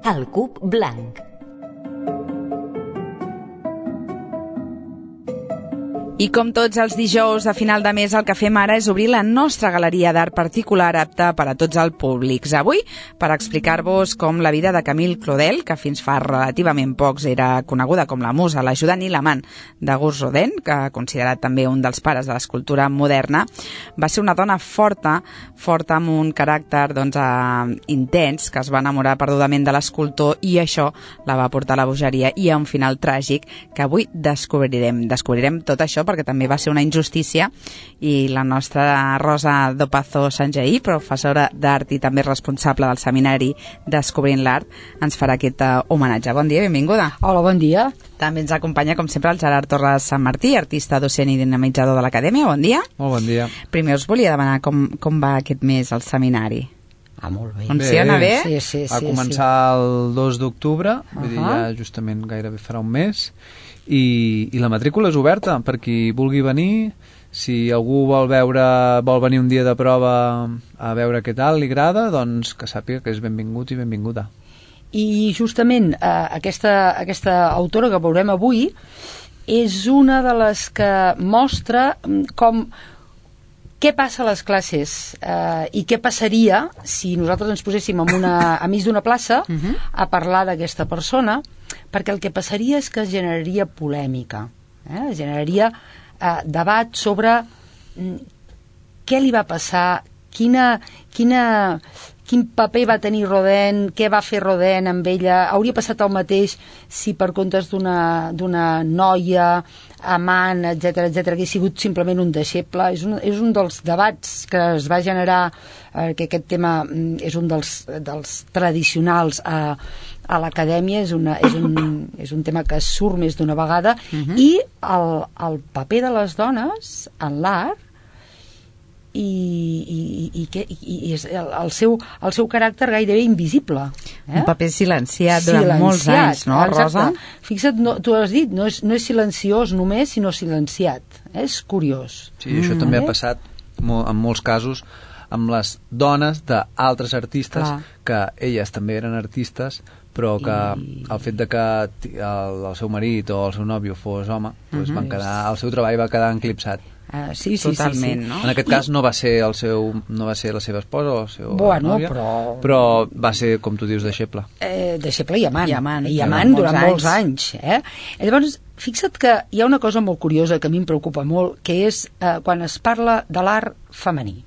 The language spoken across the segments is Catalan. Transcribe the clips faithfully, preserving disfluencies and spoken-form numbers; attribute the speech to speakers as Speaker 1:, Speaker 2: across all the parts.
Speaker 1: El cub blanc.
Speaker 2: I com tots els dijous a final de mes, el que fem ara és obrir la nostra galeria d'art particular apta per a tots els públics. Avui, per explicar-vos com la vida de Camille Claudel, que fins fa relativament pocs era coneguda com la musa, l'ajudant i l'amant d'Auguste Rodin, que considerat també un dels pares de l'escultura moderna, va ser una dona forta, forta amb un caràcter doncs, eh, intens, que es va enamorar perdudament de l'escultor i això la va portar a la bogeria i a un final tràgic que avui descobrirem. Descobrirem tot això perquè també va ser una injustícia i la nostra Rosa Dopazo Sanjaí, professora d'art i també responsable del seminari Descobrint l'Art, ens farà aquest homenatge. Bon dia, benvinguda.
Speaker 3: Hola, bon dia.
Speaker 2: També ens acompanya, com sempre, el Gerard Torres Sant Martí, artista, docent i dinamitzador de l'Acadèmia. Bon dia.
Speaker 4: Molt bon dia.
Speaker 2: Primer us volia demanar com, com va aquest mes al seminari.
Speaker 3: Ah, molt bé.
Speaker 2: Funciona bé?
Speaker 3: Sí, sí, sí.
Speaker 4: Va començar sí. el dos d'octubre, uh-huh. vull dir, ja justament gairebé farà un mes, i, i la matrícula és oberta per qui vulgui venir. Si algú vol veure, vol venir un dia de prova a veure què tal li agrada, doncs que sàpiga que és benvingut i benvinguda.
Speaker 3: I justament eh, aquesta, aquesta autora que veurem avui és una de les que mostra com què passa a les classes eh, i què passaria si nosaltres ens poséssim en una, a mig d'una plaça uh-huh. a parlar d'aquesta persona, perquè el que passaria és que es generaria polèmica, eh? es generaria eh, debat sobre mm, què li va passar, quina, quina, quin paper va tenir Rodin, què va fer Rodin amb ella, hauria passat el mateix si per comptes d'una, d'una noia amant, etcètera, etcètera, que ha sigut simplement un deixeble. És un, és un dels debats que es va generar, eh, que aquest tema és un dels, dels tradicionals a, a l'acadèmia, és, una, és, un, és un tema que surt més d'una vegada, uh-huh. i el, el paper de les dones en l'art i, i, i, que, i, i el, el, seu, el seu caràcter gairebé invisible. Eh?
Speaker 2: Un paper silenciat durant silenciat, molts anys, no, Rosa?
Speaker 3: Fixa't, no, tu has dit, no és, no és silenciós només, sinó silenciat. Eh? És curiós.
Speaker 4: Sí, mm. això també ha passat molt, en molts casos amb les dones d'altres artistes, clar. Que elles també eren artistes, però que I... el fet de que el, el seu marit o el seu nòvio fos home, doncs mm-hmm. van quedar, el seu treball va quedar eclipsat.
Speaker 3: Uh, sí, sí,
Speaker 2: totalment,
Speaker 3: sí, sí.
Speaker 2: no?
Speaker 4: En aquest cas no va ser el seu, no va ser la seva esposa o la seva
Speaker 3: bueno,
Speaker 4: nòvia,
Speaker 3: però...
Speaker 4: però va ser, com tu dius, deixeble.
Speaker 3: Eh, deixeble i amant.
Speaker 2: I amant,
Speaker 3: I amant
Speaker 2: durant,
Speaker 3: durant molts
Speaker 2: anys.
Speaker 3: anys. Eh? Llavors, fixa't que hi ha una cosa molt curiosa que a mi em preocupa molt, que és eh, quan es parla de l'art femení.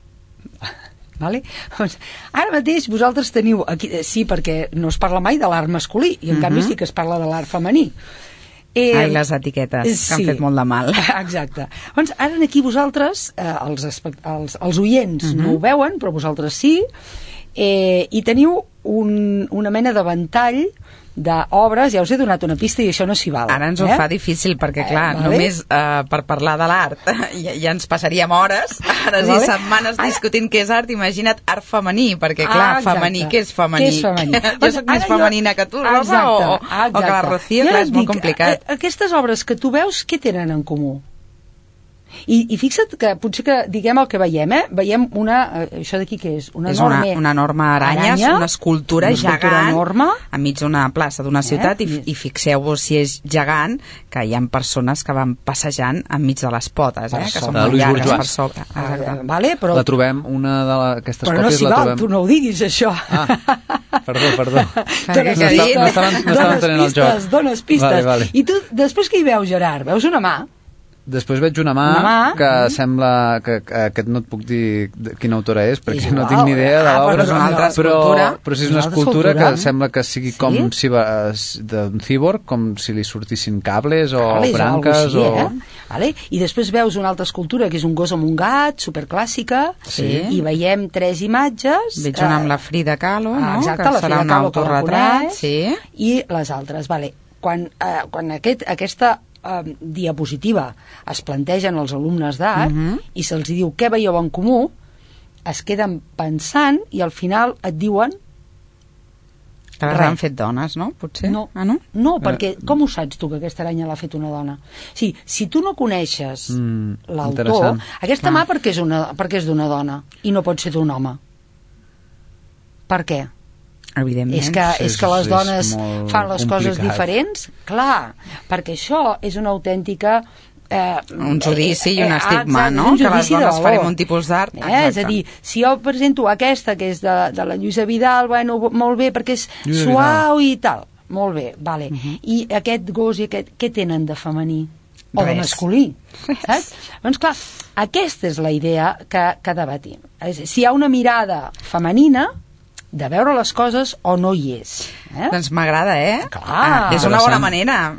Speaker 3: Vale? Doncs, ara mateix vosaltres teniu aquí, sí, perquè no es parla mai de l'art masculí i en uh-huh. canvi sí que es parla de l'art femení.
Speaker 2: Eh, Ai, les etiquetes, sí. que han fet molt de mal.
Speaker 3: Exacte. Doncs ara aquí vosaltres, eh, els, els, els oients uh-huh. no ho veuen, però vosaltres sí, eh, i teniu un, una mena de ventall d'obres, ja us he donat una pista i això no s'hi val.
Speaker 2: Ara ens ho
Speaker 3: eh?
Speaker 2: fa difícil perquè, clar, eh, vale? només eh, per parlar de l'art ja, ja ens passaríem hores, hores vale? i setmanes discutint què és art. Imagina't art femení, perquè, clar, ah, femení, què és femení?
Speaker 3: Què és femení?
Speaker 2: Jo soc més femenina jo... que tu, Rosa, o, o que la Rocío, clar, és molt dic, complicat.
Speaker 3: Aquestes obres que tu veus, què tenen en comú? I, i fixa't que potser que diguem el que veiem, eh? Veiem una, això d'aquí què és? Una
Speaker 2: és
Speaker 3: enorme,
Speaker 2: una, una enorme aranya,
Speaker 3: aranya,
Speaker 2: una escultura
Speaker 3: una escultura
Speaker 2: gegant
Speaker 3: enorme,
Speaker 2: enmig d'una plaça d'una ciutat, eh? i, i fixeu-vos si és gegant, que hi ha persones que van passejant enmig de les potes, eh? que són molt llargues per sobre.
Speaker 3: Ah, vale, però...
Speaker 4: La trobem, una d'aquestes
Speaker 3: però
Speaker 4: còpies
Speaker 3: no
Speaker 4: la
Speaker 3: val,
Speaker 4: trobem...
Speaker 3: tu no ho diguis, això.
Speaker 4: Ah, perdó, perdó.
Speaker 3: Dones
Speaker 4: no
Speaker 3: pistes,
Speaker 4: no estaven, no estaven tenint el joc.
Speaker 3: Dones pistes.
Speaker 4: Vale, vale.
Speaker 3: I tu, després què hi veus, Gerard? Veus una mà?
Speaker 4: Després veig una mà,
Speaker 3: una mà
Speaker 4: que
Speaker 3: mm.
Speaker 4: sembla que, que aquest no et puc dir quina autora és, perquè
Speaker 3: és
Speaker 4: no
Speaker 3: igual.
Speaker 4: tinc ni idea de
Speaker 3: ah,
Speaker 4: l'obra,
Speaker 3: però,
Speaker 2: però,
Speaker 4: però, però si és una escultura,
Speaker 3: escultura
Speaker 4: que sembla que sigui
Speaker 3: sí?
Speaker 4: com si va, d'un cíborg, com si li sortissin cables o
Speaker 3: cables,
Speaker 4: branques
Speaker 3: o... Així,
Speaker 4: o...
Speaker 3: eh? Vale? I després veus una altra escultura que és un gos amb un gat, superclàssica,
Speaker 2: sí.
Speaker 3: i veiem tres imatges.
Speaker 2: Veig una amb la Frida Kahlo, no?
Speaker 3: Exacte,
Speaker 2: que
Speaker 3: la
Speaker 2: serà
Speaker 3: Frida
Speaker 2: un
Speaker 3: Kahlo,
Speaker 2: autorretrat, sí.
Speaker 3: i les altres. Vale. Quan, eh, quan aquest, aquesta eh, diapositiva es plantegen als alumnes d'art uh-huh. i se'ls diu què veieu en comú, es queden pensant i al final et diuen
Speaker 2: que les han fet dones, no? Potser?
Speaker 3: No,
Speaker 2: ah, no?
Speaker 3: no perquè com ho saps tu que aquesta aranya l'ha fet una dona? Sí, si tu no coneixes mm, l'autor, aquesta ah. mà perquè és, una, perquè és d'una dona i no pot ser d'un home. Per què?
Speaker 2: Evidentment.
Speaker 3: És que, és que les
Speaker 4: és
Speaker 3: dones
Speaker 4: molt
Speaker 3: fan les coses
Speaker 4: complicat.
Speaker 3: diferents? Clar, perquè això és una autèntica... Eh,
Speaker 2: un judici i un
Speaker 3: eh,
Speaker 2: estigma,
Speaker 3: exacte,
Speaker 2: no?
Speaker 3: un
Speaker 2: Que les
Speaker 3: judici de
Speaker 2: dones
Speaker 3: valor.
Speaker 2: farem un tipus d'art.
Speaker 3: Eh? És a dir, si jo presento aquesta, que és de, de la Lluïsa Vidal, bueno, molt bé, perquè és
Speaker 4: Lluïsa
Speaker 3: suau i tal. Molt bé, vale.
Speaker 2: Uh -huh.
Speaker 3: I aquest gos i aquest, què tenen de femení? O de
Speaker 2: Res.
Speaker 3: masculí, saps? Doncs clar, aquesta és la idea que, que debatim. És, si hi ha una mirada femenina, de veure les coses o no hi és. Eh?
Speaker 2: Doncs m'agrada, eh?
Speaker 3: Clar.
Speaker 2: Ah, és una bona
Speaker 4: Interessant.
Speaker 2: manera.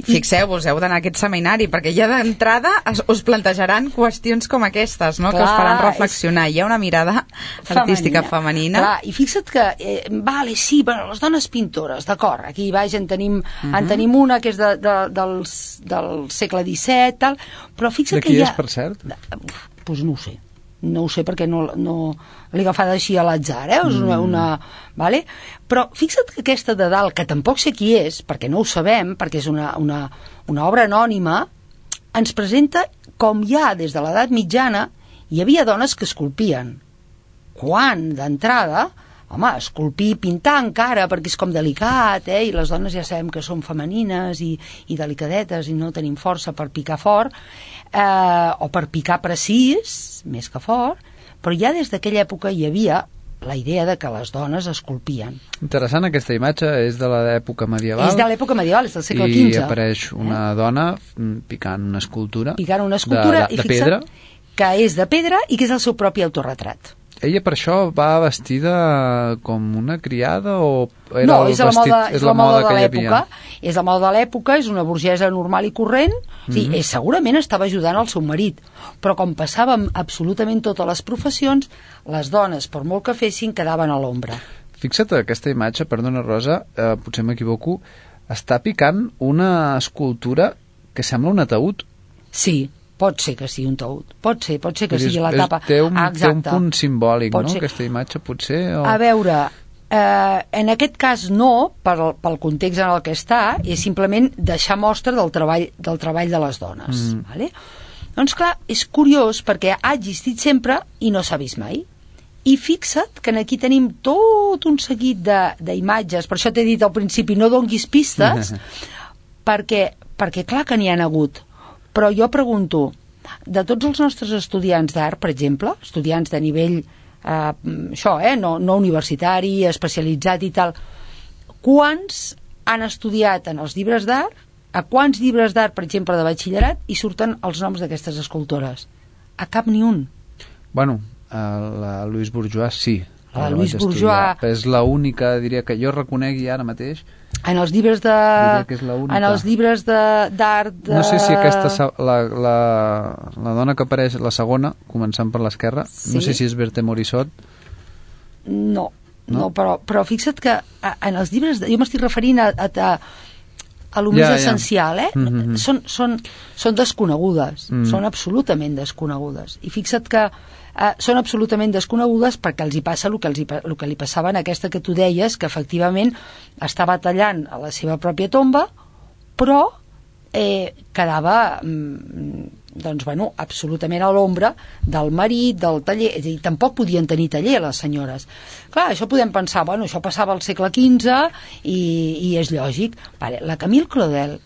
Speaker 2: Fixeu-vos, heu d'anar a aquest seminari, perquè ja d'entrada es- us plantejaran qüestions com aquestes, no?
Speaker 3: Clar,
Speaker 2: que us faran reflexionar. Hi ha una mirada artística femenina.
Speaker 3: Clar, i fixa't que, eh, vale, sí, bueno, les dones pintores, d'acord, aquí baix en tenim, uh -huh. en tenim una que és de, de, dels, del segle disset, tal, però fixa't
Speaker 4: De
Speaker 3: que
Speaker 4: qui
Speaker 3: hi ha...
Speaker 4: és, per cert?
Speaker 3: Doncs pues no ho sé. No ho sé perquè no, no l'he agafada així a l'atzar, eh? És una, una, vale? Però fixa't que aquesta de dalt, que tampoc sé qui és, perquè no ho sabem, perquè és una, una, una obra anònima, ens presenta com ja des de l'edat mitjana hi havia dones que esculpien. Quan, d'entrada, home, esculpir i pintar encara, perquè és com delicat, eh? I les dones ja sabem que són femenines i, i delicadetes i no tenim força per picar fort, eh, o per picar precís, més que fort, però ja des d'aquella època hi havia la idea de que les dones esculpien.
Speaker 4: Interessant, aquesta imatge és de l'època medieval.
Speaker 3: És de l'època medieval, és del segle
Speaker 4: I
Speaker 3: quinze.
Speaker 4: apareix una eh? dona mm, picant una escultura.
Speaker 3: Picant una escultura
Speaker 4: de, de,
Speaker 3: i
Speaker 4: de
Speaker 3: fixa't
Speaker 4: pedra.
Speaker 3: que és de pedra i que és el seu propi autorretrat.
Speaker 4: Ella per això va vestida com una criada o era
Speaker 3: No,
Speaker 4: el
Speaker 3: és la
Speaker 4: vestit,
Speaker 3: moda, és la moda de
Speaker 4: que hi
Speaker 3: l'època,
Speaker 4: havia?
Speaker 3: és la moda de l'època, és una burgesa normal i corrent, o sigui,
Speaker 4: Mhm.
Speaker 3: és, segurament estava ajudant el seu marit, però com passava amb absolutament totes les professions, les dones, per molt que fessin, quedaven a l'ombra.
Speaker 4: Fixa't, aquesta imatge, perdona Rosa, eh, potser m'equivoco, està picant una escultura que sembla un ataúd.
Speaker 3: Sí, pot ser que sigui un taüt, pot ser, pot ser que
Speaker 4: Vull dir,
Speaker 3: sigui la
Speaker 4: és-
Speaker 3: tapa.
Speaker 4: Té un,
Speaker 3: Ah,
Speaker 4: té un
Speaker 3: exacte.
Speaker 4: punt simbòlic,
Speaker 3: Pot
Speaker 4: no?,
Speaker 3: ser.
Speaker 4: aquesta imatge, potser... O...
Speaker 3: A veure, eh, en aquest cas no, pel, pel context en el que està, és simplement deixar mostra del treball, del treball de les dones.
Speaker 4: Mm.
Speaker 3: Vale? Doncs clar, és curiós perquè ha existit sempre i no s'ha vist mai. I fixa't que aquí tenim tot un seguit de- d'imatges, per això t'he dit al principi, no donguis pistes, perquè, perquè clar que n'hi han hagut. Però jo pregunto, de tots els nostres estudiants d'art, per exemple, estudiants de nivell, eh, això, eh, no, no universitari, especialitzat i tal, quants han estudiat en els llibres d'art, a quants llibres d'art, per exemple, de batxillerat, hi surten els noms d'aquestes escultores? A cap ni un.
Speaker 4: Bueno, a la Louise Bourgeois sí.
Speaker 3: La
Speaker 4: la
Speaker 3: Louise
Speaker 4: vaig estudiar,
Speaker 3: Bourgeois-
Speaker 4: però és l'única, diria, que jo reconegui ara mateix.
Speaker 3: En els llibres de...
Speaker 4: Diria que és l'única.
Speaker 3: En els llibres de- d'art de...
Speaker 4: No sé si aquesta, sa- la, la, la dona que apareix, la segona, començant per l'esquerra,
Speaker 3: Sí.
Speaker 4: no sé si és Berthe Morisot.
Speaker 3: No, no,
Speaker 4: No?
Speaker 3: però, però fixa't que a- en els llibres... De, jo m'estic referint a, a, a, a lo més
Speaker 4: Ja, ja.
Speaker 3: essencial, eh?
Speaker 4: Mhm.
Speaker 3: Són, són, són desconegudes,
Speaker 4: Mm.
Speaker 3: són absolutament desconegudes. I fixa't que eh, són absolutament desconegudes perquè els hi passa el que, els hi, pa- el que li passava en aquesta que tu deies, que efectivament estava tallant a la seva pròpia tomba, però eh, quedava mm, doncs, bueno, absolutament a l'ombra del marit, del taller, és a dir, tampoc podien tenir taller les senyores. Clar, això podem pensar, bueno, això passava al segle quinze i, i és lògic. Vale, la Camille Claudel,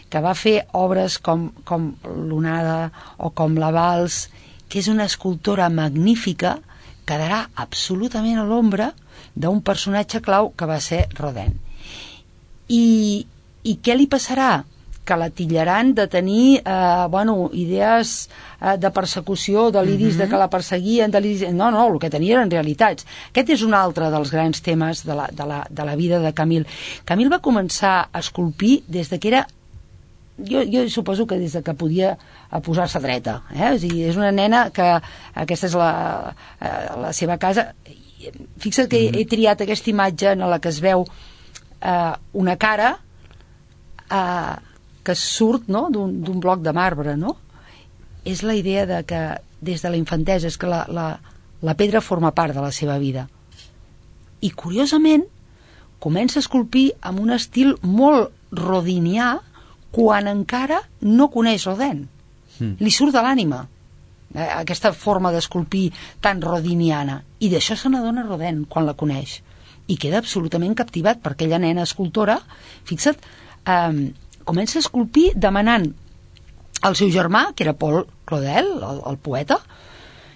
Speaker 3: que va fer obres com, com l'Onada o com la Vals, que és una escultora magnífica, quedarà absolutament a l'ombra d'un personatge clau que va ser Rodin. I, i què li passarà? Que la titllaran de tenir eh, bueno, idees eh, de persecució, de l'iris, mm-hmm. de que la perseguien, de l'iris... No, no, el que tenia eren realitats. Aquest és un altre dels grans temes de la, de la, de la vida de Camille. Camille va començar a esculpir des de que era... Jo, jo suposo que des de que podia posar-se dreta. Eh? O sigui, és una nena que aquesta és la, eh, la seva casa. Fixa't que mm-hmm. he triat aquesta imatge en la que es veu eh, una cara... Eh, que surt, no?, d'un d'un bloc de marbre, no? És la idea de que des de la infantesa és que la, la, la pedra forma part de la seva vida. I curiosament comença a esculpir amb un estil molt rodinià quan encara no coneix Rodin.
Speaker 4: Mm.
Speaker 3: Li surt de l'ànima. eh, aquesta forma d'esculpir tan rodiniana. I d'això se n'adona Rodin quan la coneix. I queda absolutament captivat per aquella nena escultora. Fixa't, eh, comença a esculpir demanant al seu germà, que era Paul Claudel, el, el poeta.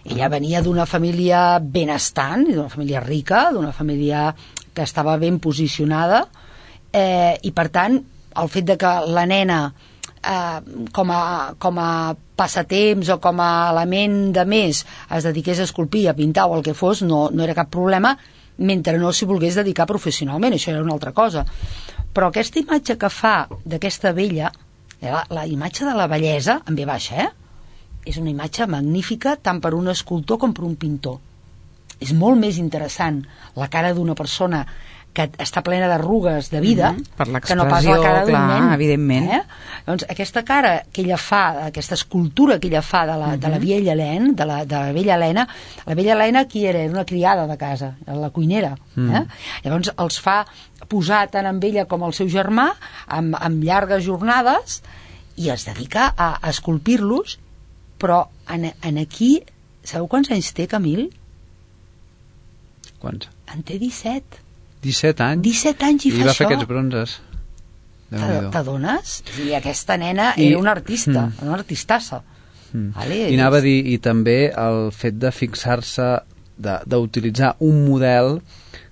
Speaker 3: Ella venia d'una família benestant, d'una família rica, d'una família que estava ben posicionada, eh, i per tant el fet de que la nena eh, com, a, com a passatemps o com a element de més es dediqués a esculpir, a pintar o el que fos, no, no era cap problema, mentre no s'hi volgués dedicar professionalment, això era una altra cosa. Però aquesta imatge que fa d'aquesta vella, la, la imatge de la bellesa en ve baixa, eh? És una imatge magnífica tant per un escultor com per un pintor. És molt més interessant la cara d'una persona que està plena d'arrugues de vida,
Speaker 2: mm-hmm, per
Speaker 3: que no pas la cara d'un nen.
Speaker 2: Evidentment.
Speaker 3: Eh? Doncs aquesta cara que ella fa, aquesta escultura que ella fa de la, mm-hmm. de la vella Helena, de la, de la vella Helena, la vella Helena qui era? Era una criada de casa, la cuinera. Mm. Eh? Llavors els fa posar tant amb ella com el seu germà, amb, amb llargues jornades, i es dedica a, a esculpir-los, però en, en aquí, sabeu quants anys té Camil?
Speaker 4: Quants?
Speaker 3: En té disset.
Speaker 4: disset anys?
Speaker 3: disset anys i,
Speaker 4: I
Speaker 3: fa
Speaker 4: va
Speaker 3: això.
Speaker 4: fer aquests bronzes.
Speaker 3: T'adones? I aquesta nena I... era una artista, mm. una artistassa.
Speaker 4: Mm.
Speaker 3: Vale,
Speaker 4: I anava a dir, i també el fet de fixar-se, d'utilitzar un model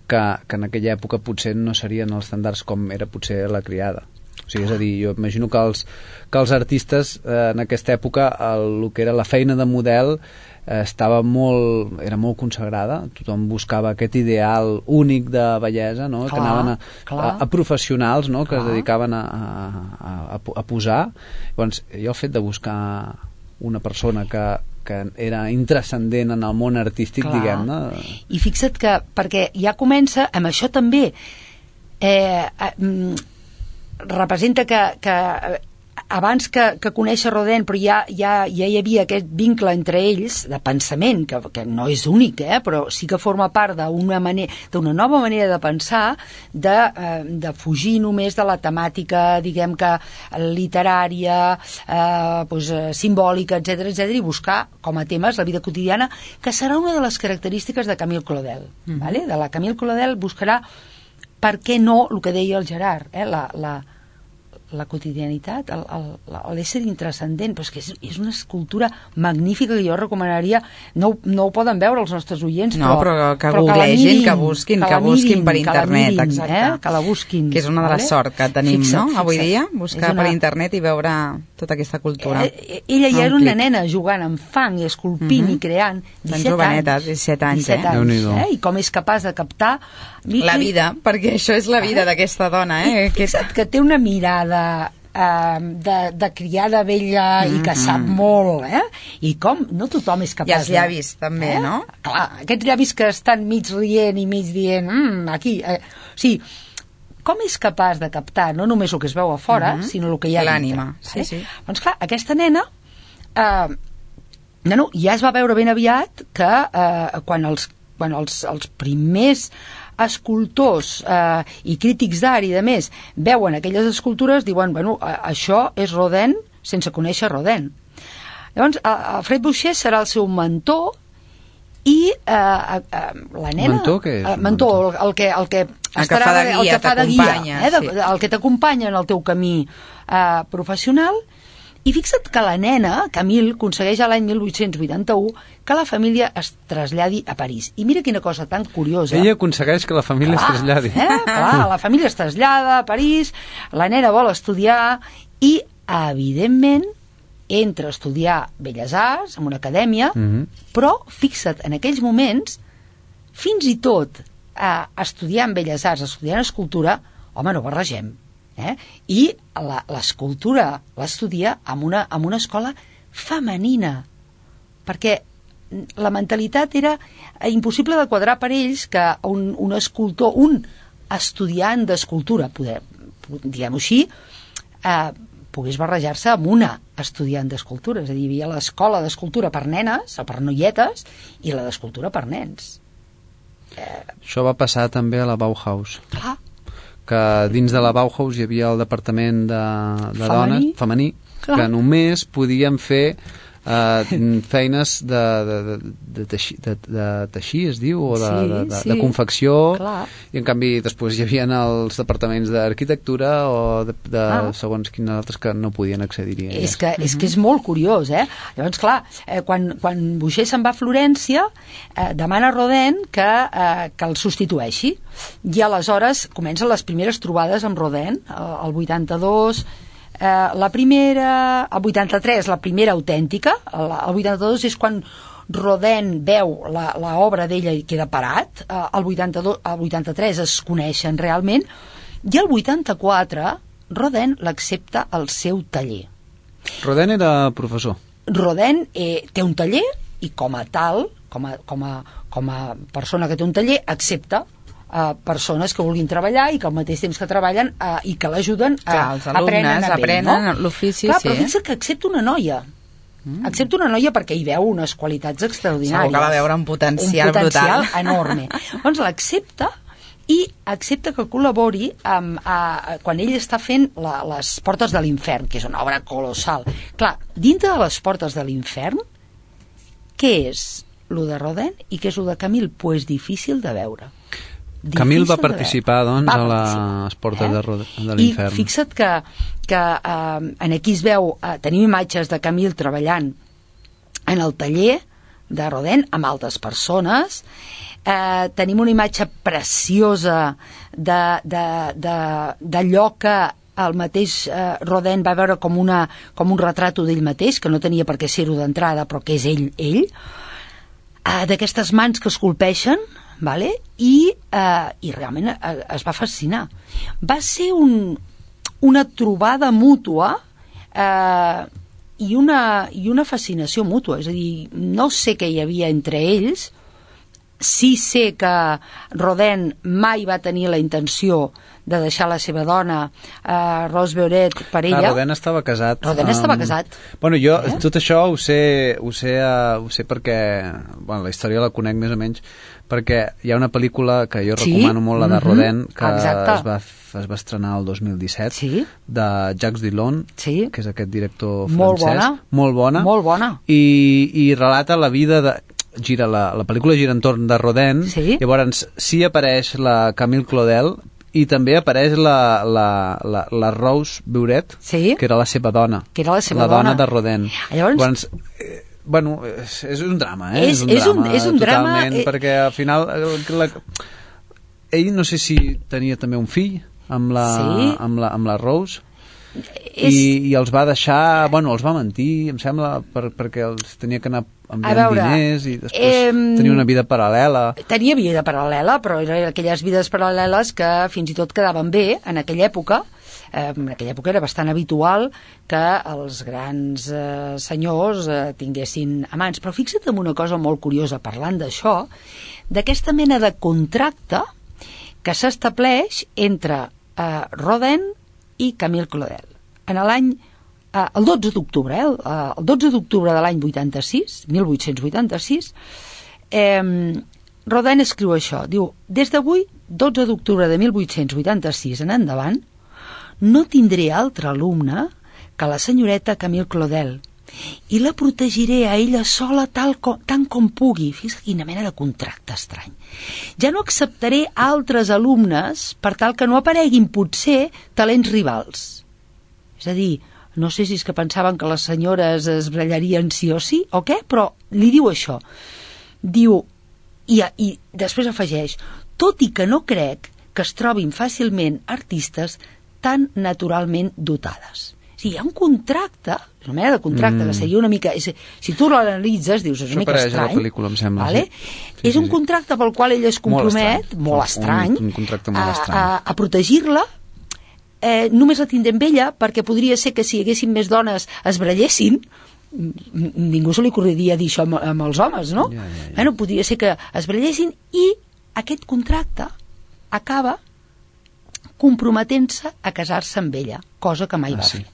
Speaker 4: que, que en aquella època potser no serien els estàndards com era potser la criada. O sigui, és a dir, jo imagino que els, que els artistes eh, en aquesta època el, el que era la feina de model eh, estava molt, era molt consagrada, tothom buscava aquest ideal únic de bellesa, no?
Speaker 3: Clar,
Speaker 4: que anaven a, a, a professionals, no? que
Speaker 3: clar.
Speaker 4: es dedicaven a, a, a, a posar. Llavors, jo el fet de buscar una persona que, que era intrascendent en el món artístic,
Speaker 3: clar.
Speaker 4: diguem-ne.
Speaker 3: I fixa't que, perquè ja comença amb això també, eh, eh, representa que, que abans que, que conèixer Rodin, però ja, ja, ja hi havia aquest vincle entre ells de pensament, que, que no és únic, eh, però sí que forma part d'una manera, d'una nova manera de pensar, de, eh, de fugir només de la temàtica, diguem que literària, eh, doncs, simbòlica, etcètera, etcètera, i buscar com a temes la vida quotidiana, que serà una de les característiques de Camille Claudel. Mm. Vale? De la Camille Claudel buscarà, per què no, el que deia el Gerard, eh? la, la, la quotidianitat, l'ésser intrascendent, però és que és, és una escultura magnífica que jo recomanaria, no, no ho poden veure els nostres oients,
Speaker 2: no,
Speaker 3: però,
Speaker 2: però que
Speaker 3: però
Speaker 2: googlegin, que busquin, que, que busquin per internet,
Speaker 3: mirin,
Speaker 2: exacte.
Speaker 3: Eh? Que la busquin.
Speaker 2: Que és una de les
Speaker 3: vale?
Speaker 2: sort que tenim,
Speaker 3: fixa't,
Speaker 2: no?,
Speaker 3: fixa't.
Speaker 2: avui dia, buscar una... per internet i veure tota aquesta cultura.
Speaker 3: Eh, ella ja era una nena jugant amb fang i esculpint uh-huh. i creant, disset
Speaker 2: joveneta,
Speaker 3: anys,
Speaker 2: disset anys,
Speaker 3: disset
Speaker 2: eh?
Speaker 3: anys eh? I com és capaç de captar
Speaker 2: la vida, perquè això és la vida eh? d'aquesta dona, eh?
Speaker 3: I, que... que té una mirada Uh, de, de criada vella mm-hmm. i que sap molt, eh? I com no tothom és capaç...
Speaker 2: I els llavis, de... també, eh? no?
Speaker 3: Clar, aquests llavis que estan mig rient i mig dient, mm, aquí... Eh? O sigui, com és capaç de captar no només el que es veu a fora, mm-hmm. sinó el que hi ha
Speaker 2: l'ànima,
Speaker 3: dintre?
Speaker 2: sí, sí.
Speaker 3: Doncs clar, aquesta nena... Eh, no, no, ja es va veure ben aviat que eh, quan els, quan els, els primers escultors eh, i crítics d'art i de més veuen aquelles escultures, diuen, bueno, això és Rodin sense conèixer Rodin. Llavors, Alfred Boucher serà el seu mentor i eh, eh, la nena...
Speaker 4: Mentor què és?
Speaker 3: Eh, mentor, el, el que, el que,
Speaker 2: el que fa de guia,
Speaker 3: el que fa de guia, eh, de,
Speaker 2: sí.
Speaker 3: el que t'acompanya en el teu camí eh, professional. I fixa't que la nena, Camille, aconsegueix a l'any mil vuit-cents vuitanta-u que la família es traslladi a París. I mira quina cosa tan curiosa.
Speaker 4: Ella aconsegueix que la família
Speaker 3: clar,
Speaker 4: es traslladi.
Speaker 3: Eh? Clar, la família es trasllada a París, la nena vol estudiar i, evidentment, entra a estudiar Belles Arts en una acadèmia, mm-hmm. però, fixa't, en aquells moments, fins i tot eh, estudiant Belles Arts, estudiant escultura, home, no barregem. Eh? I l'escultura l'estudia en una, en una escola femenina, perquè la mentalitat era impossible de quadrar per ells que un, un escultor, un estudiant d'escultura, diguem-ho així, eh, pogués barrejar-se amb una estudiant d'escultura. És a dir, hi havia l'escola d'escultura per nenes o per noietes i la d'escultura per nens.
Speaker 4: Eh... Això va passar també a la Bauhaus.
Speaker 3: Clar.
Speaker 4: Que dins de la Bauhaus hi havia el departament de, de
Speaker 3: femení,
Speaker 4: dones, femení, clar. Que només podien fer uh, feines de, de, de, de, teixir, de, de teixir, es diu, o de,
Speaker 3: sí,
Speaker 4: de, de,
Speaker 3: sí.
Speaker 4: de confecció,
Speaker 3: Clar.
Speaker 4: I en canvi després hi havia els departaments d'arquitectura o de, de
Speaker 3: ah.
Speaker 4: segons quins altres que no podien accedir-hi.
Speaker 3: És que, és que és molt curiós, eh? Llavors, clar, eh, quan, quan Boucher se'n va a Florència, eh, demana a Rodin que, eh, que el substitueixi, i aleshores comencen les primeres trobades amb Rodin, el vuitanta-dos, eh, la primera, el vuitanta-tres, la primera autèntica, el, el vuitanta-dos és quan Rodin veu l'obra d'ella i queda parat, eh, el, vuitanta-dos, el vuitanta-tres es coneixen realment, i el vuitanta-quatre Rodin l'accepta al seu taller.
Speaker 4: Rodin era professor.
Speaker 3: Rodin eh, té un taller i com a tal, com a, com a, com a persona que té un taller, accepta a persones que vulguin treballar i que al mateix temps que treballen eh, i que l'ajuden a
Speaker 2: els alumnes aprenen
Speaker 3: no?
Speaker 2: l'ofici,
Speaker 3: Clar,
Speaker 2: sí.
Speaker 3: però fixa't que accepta una noia. Mm. Accepta una noia perquè hi veu unes qualitats extraordinàries.
Speaker 2: Segur que va veure un potencial,
Speaker 3: un potencial
Speaker 2: brutal.
Speaker 3: enorme. Doncs l'accepta i accepta que col·labori amb, a, a, quan ell està fent la, les Portes de l'Infern, que és una obra colossal. Clar, dintre de les Portes de l'Infern, què és lo de Rodin i què és lo de Camille? Pues difícil de veure. Difícil
Speaker 4: Camille va participar, doncs,
Speaker 3: va
Speaker 4: a
Speaker 3: participar,
Speaker 4: les Portes
Speaker 3: eh?
Speaker 4: de, de l'Infern.
Speaker 3: I fixa't que, que eh, en aquí es veu, eh, tenim imatges de Camille treballant en el taller de Rodin amb altres persones, eh, tenim una imatge preciosa d'allò que el mateix eh, Rodin va veure com, una, com un retrato d'ell mateix, que no tenia per què ser-ho d'entrada, però que és ell, ell, eh, d'aquestes mans que esculpeixen, vale? I, eh, i realment eh, es va fascinar. Va ser un, una trobada mútua eh, i, una, i una fascinació mútua, és a dir, no sé què hi havia entre ells, sí sé que Rodin mai va tenir la intenció de deixar la seva dona, eh, Rose Beuret, per ella.
Speaker 4: Ah, Rodin estava casat.
Speaker 3: Rodin um, estava casat.
Speaker 4: Bueno, jo
Speaker 3: eh?
Speaker 4: tot això ho sé, ho sé, uh, ho sé perquè, bueno, la història la conec més o menys, perquè hi ha una pel·lícula que jo
Speaker 3: sí?
Speaker 4: recomano molt, la de Rodin, que
Speaker 3: Exacte.
Speaker 4: es va, es va estrenar el dos mil disset,
Speaker 3: sí?
Speaker 4: de Jacques Dillon,
Speaker 3: sí?
Speaker 4: que és aquest director
Speaker 3: molt
Speaker 4: francès.
Speaker 3: Bona.
Speaker 4: Molt bona.
Speaker 3: Molt bona.
Speaker 4: I, i relata la vida de... Gira la, la pel·lícula gira entorn de Rodin,
Speaker 3: sí?
Speaker 4: Llavors sí apareix la Camille Claudel i també apareix la, la, la, la Rose Beuret,
Speaker 3: sí?
Speaker 4: que era la seva dona,
Speaker 3: que era la seva
Speaker 4: la dona, dona de Rodin.
Speaker 3: Llavors,
Speaker 4: Llavors eh, bueno, és, és un drama, eh?
Speaker 3: És,
Speaker 4: és un
Speaker 3: és
Speaker 4: drama,
Speaker 3: un, és un
Speaker 4: totalment,
Speaker 3: drama, eh...
Speaker 4: perquè al final la, ell no sé si tenia també un fill amb la,
Speaker 3: sí?
Speaker 4: amb la, amb la Rose,
Speaker 3: és...
Speaker 4: I, i els va deixar, bueno, els va mentir, em sembla, per, perquè els tenia que anar enviant
Speaker 3: veure,
Speaker 4: diners i després
Speaker 3: eh,
Speaker 4: tenia una vida paral·lela.
Speaker 3: Tenia vida paral·lela, però eren aquelles vides paral·leles que fins i tot quedaven bé en aquella època. Eh, en aquella època era bastant habitual que els grans eh, senyors eh, tinguessin amants. Però fixa't en una cosa molt curiosa, parlant d'això, d'aquesta mena de contracte que s'estableix entre eh, Rodin i Camille Claudel. En l'any, eh, el dotze d'octubre, eh, el dotze d'octubre de l'any vuitanta-sis, mil vuit-cents vuitanta-sis, eh, Rodin escriu això, diu, des d'avui, dotze d'octubre de mil vuit-cents vuitanta-sis en endavant, no tindré altre alumne que la senyoreta Camille Claudel i la protegiré a ella sola tal com, tant com pugui. Fixa't quina mena de contracte estrany. Ja no acceptaré altres alumnes per tal que no apareguin potser talents rivals. És a dir, no sé si és que pensaven que les senyores es brallarien sí o sí o què, però li diu això. Diu, i, i després afegeix, tot i que no crec que es trobin fàcilment artistes tan naturalment dotades. O sigui, hi ha un contracte, una mena de contracte, mm. que seria una mica... És, si tu l'analitzes, dius, és una mica estrany.
Speaker 4: Això apareix a la pel·lícula, em sembla.
Speaker 3: Vale?
Speaker 4: Sí.
Speaker 3: Sí, és un sí, contracte pel qual ell es compromet, molt estrany,
Speaker 4: molt estrany un, un contracte molt estrany.
Speaker 3: a, a, a protegir-la, eh, només la tindré amb ella, perquè podria ser que si hi haguessin més dones es brallessin, ningú se li ocorreria dir això amb, amb els homes, no?
Speaker 4: Ja, ja, ja.
Speaker 3: Bueno, podria ser que es brallessin i aquest contracte acaba comprometent-se a casar-se amb ella, cosa que mai
Speaker 4: ah,
Speaker 3: va
Speaker 4: sí.
Speaker 3: fer.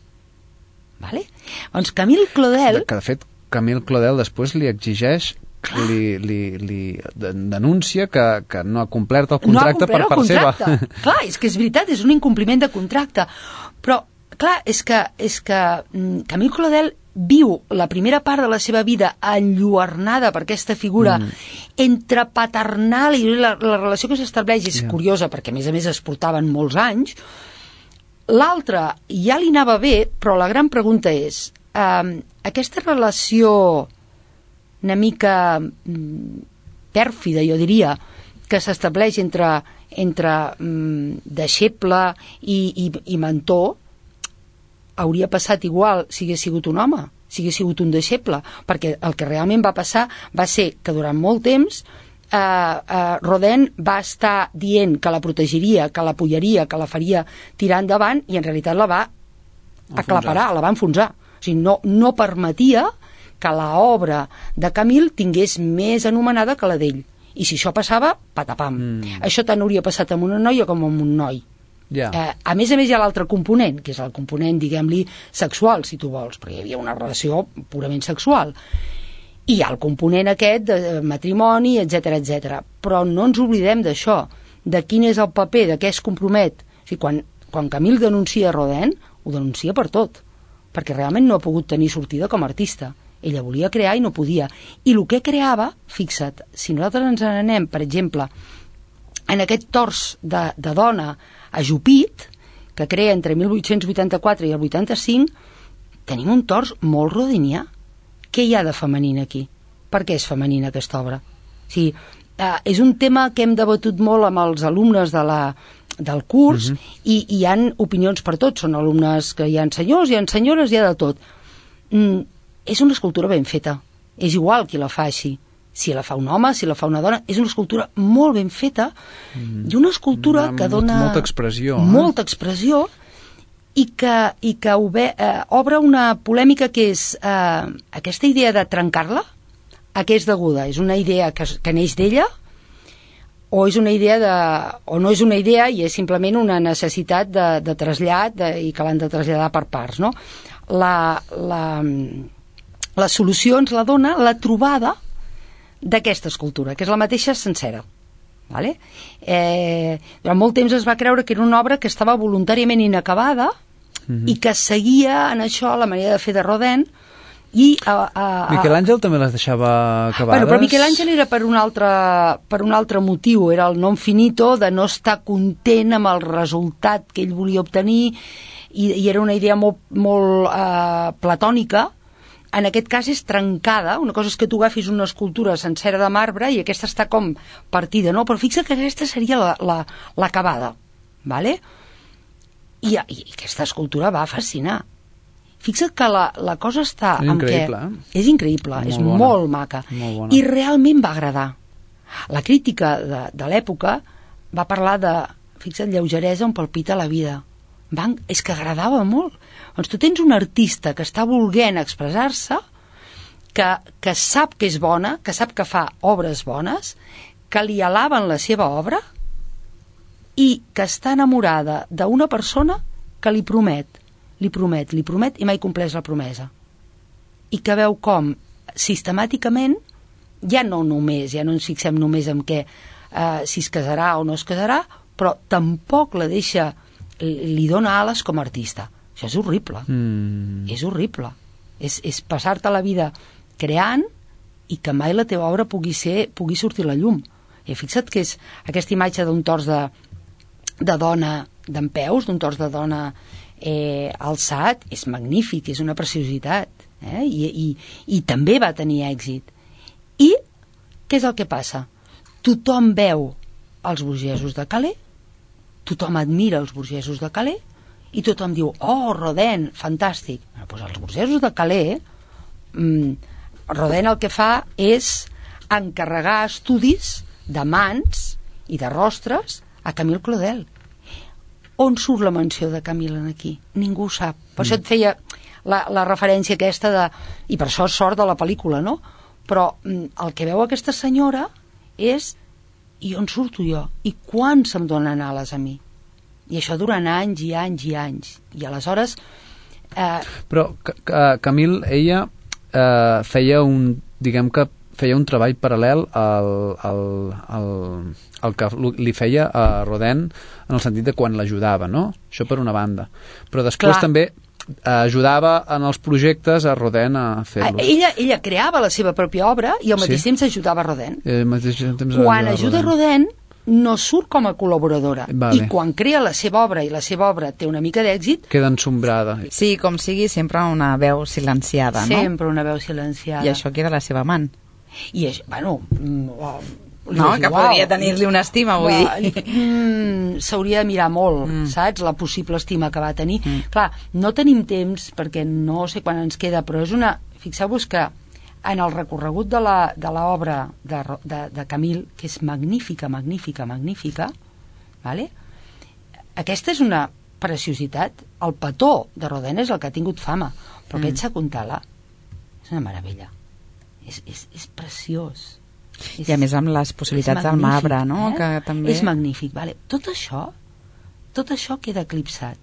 Speaker 3: Vale? Doncs Camille Claudel...
Speaker 4: Que de fet Camille Claudel després li exigeix, li, li, li denuncia que, que no ha complert el contracte no
Speaker 3: complert
Speaker 4: per part seva.
Speaker 3: Clar, és que és veritat, és un incompliment de contracte. Però clar, és que, és que Camille Claudel viu la primera part de la seva vida enlluernada per aquesta figura mm. entre paternal i la, la relació que s'estableix és yeah. curiosa, perquè a més a més es portaven molts anys. L'altra ja li anava bé, però la gran pregunta és eh, aquesta relació una mica mm, pèrfida, jo diria, que s'estableix entre, entre mm, deixeble i, i, i mentor, hauria passat igual si hagués sigut un home, si hagués sigut un deixeble, perquè el que realment va passar va ser que durant molt temps eh, eh, Rodin va estar dient que la protegiria, que l'apoyaria, que la faria tirar endavant, i en realitat la va aclaparar, la va enfonsar. O sigui, no, no permetia que l'obra de Camille tingués més anomenada que la d'ell. I si això passava, patapam. Mm. Això tant hauria passat amb una noia com amb un noi. Yeah. Eh, a més a més hi ha l'altre component, que és el component, diguem-li, sexual, si tu vols, perquè hi havia una relació purament sexual. I hi ha el component aquest de matrimoni, etcètera, etcètera. Però no ens oblidem d'això, de quin és el paper, de què es compromet. O sigui, quan, quan Camille denuncia Rodin, ho denuncia per tot, perquè realment no ha pogut tenir sortida com a artista. Ella volia crear i no podia. I el que creava, fixa't, si nosaltres ens n'anem, per exemple, en aquest tors de, de dona ajupit, que crea entre mil vuit-cents vuitanta-quatre i el vuitanta-cinc, tenim un tors molt rodinià. Què hi ha de femenina aquí? Per què és femenina aquesta obra? O sigui, eh, és un tema que hem debatut molt amb els alumnes de la, del curs, uh-huh. i, i hi ha opinions per tots. Són alumnes que hi ha senyors, hi ha senyores, hi ha de tot. Mm, és una escultura ben feta. És igual qui la fa així. Si la fa un home, si la fa una dona, és una escultura molt ben feta, mm. i una escultura una, que dona
Speaker 4: molta expressió,
Speaker 3: molta expressió, i que, i que obe, eh, obre una polèmica que és eh, aquesta idea de trencar-la, a què és deguda? És una idea que, que neix d'ella, o és una idea de, o no és una idea i és simplement una necessitat de, de trasllat de, i que l'han de traslladar per parts, no? La, la, la solució ens la dona la trobada d'aquesta escultura, que és la mateixa sencera. Vale? Eh, durant molt temps es va creure que era una obra que estava voluntàriament inacabada, mm-hmm. i que seguia en això la manera de fer de Rodin, i a, a, a...
Speaker 4: Miquel Àngel també les deixava acabades.
Speaker 3: Bueno, però Miquel Àngel era per un, altre, per un altre motiu, era el non finito, de no estar content amb el resultat que ell volia obtenir, i, i era una idea molt, molt eh, platònica. En aquest cas és trencada. Una cosa és que tu agafis una escultura sencera de marbre i aquesta està com partida, no? Però fixa que aquesta seria l'acabada, la, la, vale? I, I aquesta escultura va fascinar. Fixa't que la, la cosa està
Speaker 4: és
Speaker 3: en
Speaker 4: increïble,
Speaker 3: què...
Speaker 4: Eh?
Speaker 3: És increïble, molt és bona. Molt maca.
Speaker 4: Molt
Speaker 3: I realment va agradar. La crítica de, de l'època va parlar de, fixa't, lleugeresa on palpita la vida. Van, és que agradava molt. Doncs tu tens un artista que està volent expressar-se, que, que sap que és bona, que sap que fa obres bones, que li alaben la seva obra i que està enamorada d'una persona que li promet, li promet, li promet i mai compleix la promesa. I que veu com sistemàticament, ja no només, ja no ens fixem només en què, eh, si es casarà o no es casarà, però tampoc la deixa, li dona ales com a artista. Això és horrible. Mm. És horrible. És, és passar-te la vida creant i que mai la teva obra pugui, ser, pugui sortir a la llum. I fixa't que és aquesta imatge d'un tors de, de dona dempeus, d'un tors de dona eh, alçat, és magnífic, és una preciositat. Eh? I, i, I també va tenir èxit. I què és el que passa? Tothom veu els burgesos de Calais, tothom admira els burgesos de Calais i tothom diu, oh, Rodin, fantàstic. Bueno, doncs els burgesos de Calais, mmm, Rodin el que fa és encarregar estudis de mans i de rostres a Camille Claudel. On surt la menció de Camille aquí? Ningú ho sap. Per mm. això et feia la, la referència aquesta de... I per això és sort de la pel·lícula, no? Però mm, el que veu aquesta senyora és... I on surto jo? I quan se'm donen ales a mi? I això durant anys i anys i anys. I aleshores... Eh...
Speaker 4: Però Camille, ella eh, feia un... diguem que feia un treball paral·lel al, al, al, al que li feia a Rodin en el sentit de quan l'ajudava, no? Això per una banda. Però després
Speaker 3: Clar.
Speaker 4: també ajudava en els projectes a Rodin a fer-los.
Speaker 3: Ella, ella creava la seva pròpia obra i al mateix
Speaker 4: Sí.
Speaker 3: temps ajudava Rodin.
Speaker 4: Eh, al mateix temps
Speaker 3: Quan
Speaker 4: ajudava
Speaker 3: ajuda Rodin no surt com a col·laboradora.
Speaker 4: Vale.
Speaker 3: I quan crea la seva obra i la seva obra té una mica d'èxit,
Speaker 4: Queda ensombrada.
Speaker 2: Sí, com sigui, sempre una veu silenciada, no?
Speaker 3: sempre una veu silenciada.
Speaker 2: I això que era la seva amant.
Speaker 3: I això, bueno... Mm, oh,
Speaker 2: No, que
Speaker 3: igual.
Speaker 2: podria tenir-li una estima, vull
Speaker 3: Va,
Speaker 2: dir.
Speaker 3: Mm, s'hauria de mirar molt,
Speaker 2: Mm.
Speaker 3: saps? La possible estima que va tenir.
Speaker 2: Mm.
Speaker 3: Clar, no tenim temps, perquè no sé quan ens queda, però és una... Fixeu-vos que en el recorregut de la, de l'obra de, Ro- de, de Camille, que és magnífica, magnífica, magnífica, vale? Aquesta és una preciositat. El petó de Rodin és el que ha tingut fama, però
Speaker 2: Mm.
Speaker 3: aquest Sakuntala és una meravella. És, és, és preciós.
Speaker 2: I a més amb les possibilitats del marbre, no?
Speaker 3: Eh?
Speaker 2: Que també...
Speaker 3: És magnífic, vale. Tot això, tot això queda eclipsat.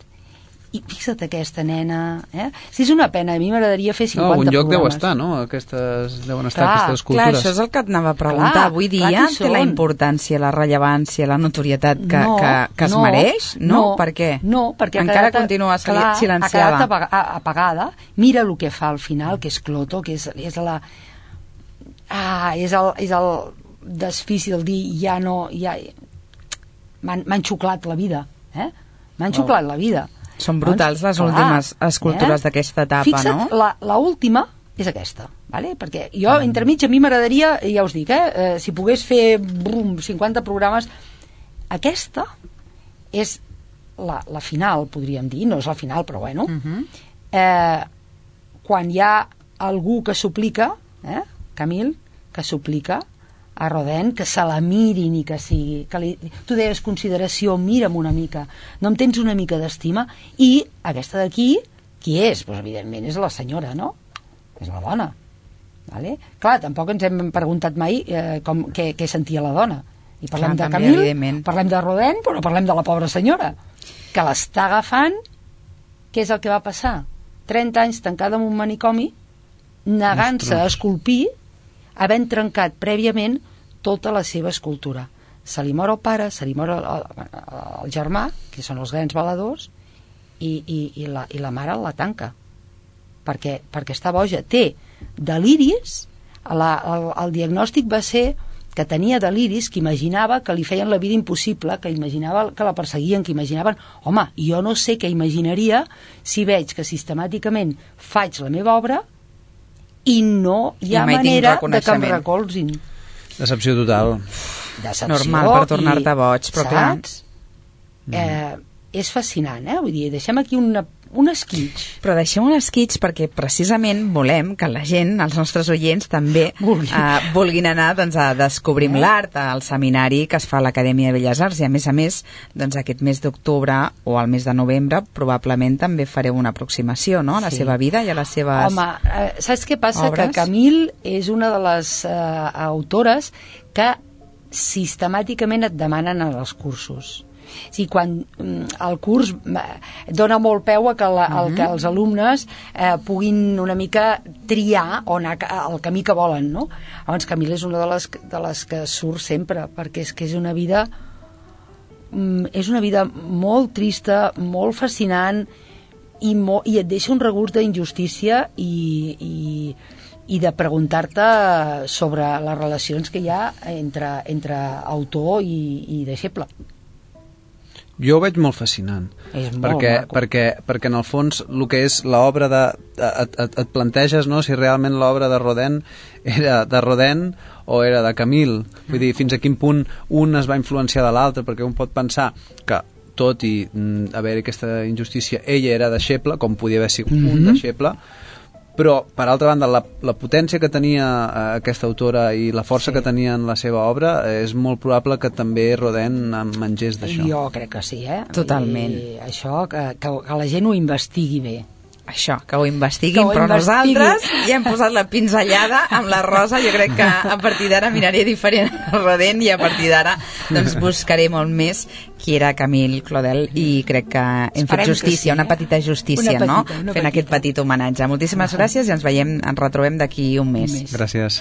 Speaker 3: I fixa't aquesta nena, eh? Si és una pena, a mi m'agradaria fer
Speaker 4: No,
Speaker 3: cinquanta
Speaker 4: un lloc deu
Speaker 3: programes.
Speaker 4: estar, no? Aquestes, deuen estar
Speaker 3: Clar,
Speaker 4: aquestes
Speaker 2: Clar,
Speaker 4: cultures.
Speaker 2: això és el que et anava a preguntar.
Speaker 3: Clar,
Speaker 2: Avui
Speaker 3: clar
Speaker 2: dia
Speaker 3: que hi
Speaker 2: té la
Speaker 3: són.
Speaker 2: importància, la rellevància, la notorietat que,
Speaker 3: No,
Speaker 2: que, que es
Speaker 3: no,
Speaker 2: mereix? No?
Speaker 3: no,
Speaker 2: Per què?
Speaker 3: No, perquè ha
Speaker 2: encara
Speaker 3: quedat-
Speaker 2: continua sili-
Speaker 3: clar,
Speaker 2: silenciada.
Speaker 3: Ha quedat apaga- a- apagada. Mira el que fa al final, que és Cloto, que és, és la... Ah, és el, és el desfici del dir ja no... Ja... M'han m'han xuclat la vida, eh? M'han
Speaker 4: Oh.
Speaker 3: xuclat la vida.
Speaker 2: Són brutals les
Speaker 3: Clar,
Speaker 2: últimes escultures
Speaker 3: eh?
Speaker 2: d'aquesta etapa,
Speaker 3: Fixa't,
Speaker 2: no?
Speaker 3: la, la última és aquesta, vale? Perquè jo, entremig, a mi m'agradaria, ja us dic, eh, eh, si pogués fer brum, cinquanta programes, aquesta és la, la final, podríem dir, no és la final, però bueno,
Speaker 2: Uh -huh.
Speaker 3: eh, quan hi ha algú que suplica, eh, Camille, que suplica a Rodin que se la mirin i que sigui... Que li, tu deies consideració, mira'm una mica, no em tens una mica d'estima, i aquesta d'aquí, qui és? Pues, evidentment és la senyora, no? És la dona. Vale? Clar, tampoc ens hem preguntat mai eh, com, què, què sentia la dona. I parlem
Speaker 2: Clar,
Speaker 3: de
Speaker 2: també,
Speaker 3: Camille,
Speaker 2: evidentment.
Speaker 3: parlem de Rodin, però no parlem de la pobra senyora, que l'està agafant. Què és el que va passar? trenta anys tancada en un manicomi, negant-se a esculpir, havent trencat prèviament tota la seva escultura. Se li mor el pare, se li mor el, el, el germà, que són els grans baladors, i, i, i, la, i la mare la tanca. Perquè, perquè està boja. Té deliris, la, el, el diagnòstic va ser que tenia deliris, que imaginava que li feien la vida impossible, que imaginava que la perseguien, que imaginaven... Home, jo no sé què imaginaria si veig que sistemàticament faig la meva obra i no hi ha
Speaker 2: I mai tinc
Speaker 3: manera de que em
Speaker 2: reconeixement.
Speaker 3: recolzin.
Speaker 4: Decepció total.
Speaker 3: Decepció.
Speaker 2: Normal, per tornar-te
Speaker 3: i-
Speaker 2: boig, però clar.
Speaker 3: saps? Eh, és fascinant, eh? Vull dir, deixem aquí una, un esquitx.
Speaker 2: Però deixem un esquitx perquè precisament volem que la gent, els nostres oients, també
Speaker 3: Vulgui.
Speaker 2: eh, vulguin anar doncs, a Descobrim
Speaker 3: Eh?
Speaker 2: l'Art, al seminari que es fa a l'Acadèmia de Belles Arts, i a més a més, doncs, aquest mes d'octubre o al mes de novembre probablement també fareu una aproximació, no?, a la
Speaker 3: Sí.
Speaker 2: seva vida i a les seves...
Speaker 3: Home, eh, saps què passa?
Speaker 2: obres?
Speaker 3: Que Camille és una de les eh, autores que sistemàticament et demanen en els cursos. O sigui, quan mm, el curs eh, dona molt peu a que, la, uh -huh. el, que els alumnes eh, puguin una mica triar on anar el camí que volen, no? Llavors, Camille és una de les, de les que surt sempre, perquè és que és una vida mm, és una vida molt trista, molt fascinant, i, mo, i et deixa un regust d'injustícia i, i, i de preguntar-te sobre les relacions que hi ha entre, entre autor i, i deixeble.
Speaker 4: Jo ho veig molt fascinant,
Speaker 3: És molt
Speaker 4: perquè,
Speaker 3: maco.
Speaker 4: perquè, perquè en el fons el que és l'obra de... Et, et, et planteges, no?, si realment l'obra de Rodin era de Rodin o era de Camille. Vull dir, fins a quin punt un es va influenciar de l'altre, perquè un pot pensar que tot i mm, haver aquesta injustícia, ella era deixeble, com podia haver sigut mm-hmm. un deixeble, però per altra banda la, la potència que tenia eh, aquesta autora i la força
Speaker 3: Sí.
Speaker 4: que tenia en la seva obra, eh, és molt probable que també Rodin en mengés d'això.
Speaker 3: Jo crec que sí, eh?
Speaker 2: Totalment.
Speaker 3: I això, que, que, que la gent ho investigui bé.
Speaker 2: Això, que ho investiguin,
Speaker 3: Que ho
Speaker 2: però
Speaker 3: investigui.
Speaker 2: nosaltres ja hem posat la pinzellada amb la Rosa. Jo crec que a partir d'ara miraré diferent a Rodin i a partir d'ara doncs, buscaré molt més qui era Camille Claudel, i crec que hem
Speaker 3: Esperem
Speaker 2: fet
Speaker 3: que
Speaker 2: justícia,
Speaker 3: sí, eh?
Speaker 2: una petita justícia,
Speaker 3: Una petita,
Speaker 2: no?
Speaker 3: una
Speaker 2: Fent aquest
Speaker 3: petita.
Speaker 2: petit homenatge. Moltíssimes gràcies i ens veiem, ens retrobem d'aquí un mes.
Speaker 3: Un mes.
Speaker 4: Gràcies.